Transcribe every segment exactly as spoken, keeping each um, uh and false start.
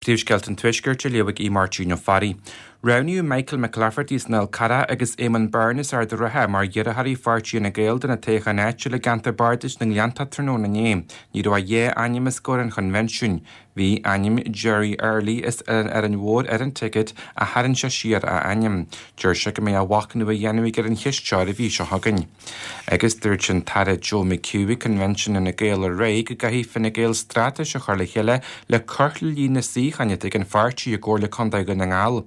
Príomhscéalta an Tuaiscirt á léamh ag Aodh Máirtín Ó Fearraigh. Roghnaíodh Michael McClafferty as an Fhál Carrach agus Éamonn Byrne as Ard an Rátha mar iarrthóirí Pháirtí Fhine Gael do na toghcháin áitiúla i gceantar Bardais na nGleanntach tráthnóna inné. Ní raibh ach dhá ainm os comhair an choinbhinsiúin. Bhí ainm Jerry Early as an Árainn Mhór ar an ticéad ach tharraing sé siar a ainm. Deir sé go mbeidh machnamh á dhéanamh aige ar an cheist seo ar an mhí seo chugainn. Agus dúirt an tAire Joe McHugh ag Coinbhinsiún Fhine Gael aréir go gcaithfidh Fine Gael straitéis a chur le chéile le cur le líon na suíochán atá ag an pháirtí i gComhairle Contae Dhún na nGall.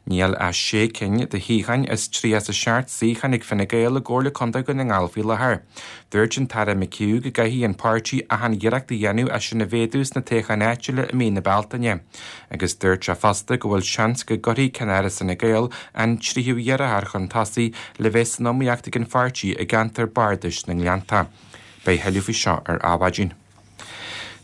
Níl ach sé cinn de shuíocháin as tríocha a seacht suíochán ag Fine Gael i gComhairle Contae Dhún na nGall faoi láthair. Dúirt an tAire McHugh go gcaithfidh an páirtí achan iarracht a dhéanamh é sin a mhéadú sna toghcháin áitiúla i mí na Bealtaine. Agus dúirt sé fosta go bhfuil seans go gcuirfidh ceannáras Fhine Gael an tríú iarrthóir chun tosaigh le bheith san iomaíocht ag an pháirtí i gceantar Bardais na nGleannta. Beidh tuilleadh faoi seo ar Adhmhaidin.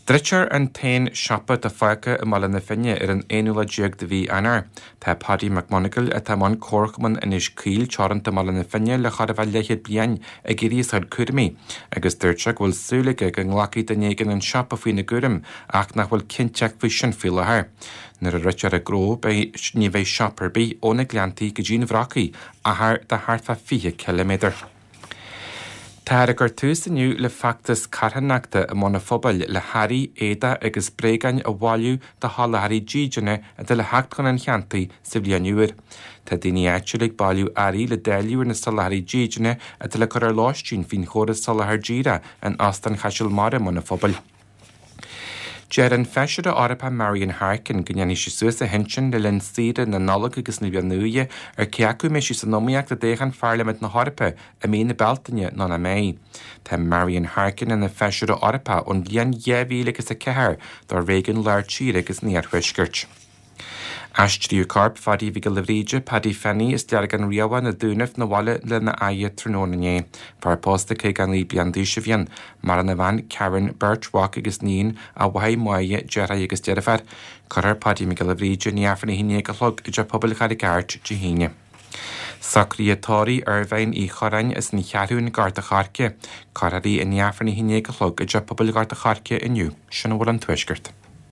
Druidfear an t-aon siopa atá fágtha i mBaile na Finne ar an aonú lá déag de mhí Eanáir. Tá Paddy McMonagall atá i mbun Comharchumann Inis Caoil teoranta i mBaile na Finne le chóir a bheith leathchéad bliain ag éirí as a chuid cúraimí, agus dúirt sé go bhfuil súil aige go nglacfaidh duine éigin an siopa faoina gcúram ach nach bhfuil cinnteacht faoi sin faoi láthair. Nuair a druidfear an gnó beidh ní bheidh siopa ar bith ó na Gleanntaí go dtí an Bhrocaigh, achar de thart fá fiche ciliméadar. Táthar ag cur tús inniu le feachtas carthanachta i mBun an Phobail le hearraí, éadaí agus bréagáin a bhailiú do sholáthraí dídine atá le theacht chun an cheantair sa bhliain úr. Tá daoine áitiúla ag bailiú earraí le dáileadh ar na soláthraí dídine atá le cur ar lóistín faoin chóras soláthair díreach in Óstán Chaiseal Mara i mBun an Phobail. Deir an Feisire Eorpach Marian Harkin go ndéanfaidh sí suas a hintinn le linn saoire na Nollag agus na Bliana Nua ar cé acu mbeidh sí san iomaíocht i dtoghchán Pharlaimint na hEorpa i mí na Bealtaine nó nach mbeidh. Tá Marian Harkin ina Feisire Eorpach ón bhliain dhá mhíle agus a ceathair do réigiún lár tíre agus an iarthuaiscirt. Aistríodh corp Phaddy Mhic Giolla Bhríde, Paddy Fenny as Deargán Riabhach na Dúnaibh 'na bhaile lena fhaire tráthnóna inné. Fear pósta caoga naoi bliain d'aois a bhí ann. Maireann a bhean Karen, beirt mhac agus níon, a mháthair Máire, deartháir agus deirfiúr. Cuirfear Paddy Mac Giolla Bhríde i ndiaidh Aifreann a haon déag a chlog i dTeach Pobail Charraig Airt Dé hAoine. Socruithe tórraimh Irvine Uí Chorráin as an Cheathrún Gort an Choirce. Cuirfear í i ndiaidh Aifreann a haon déag a chlog i dTeach Pobail Ghort an Choirce inniu. Sin a bhfuil ón Tuaisceart.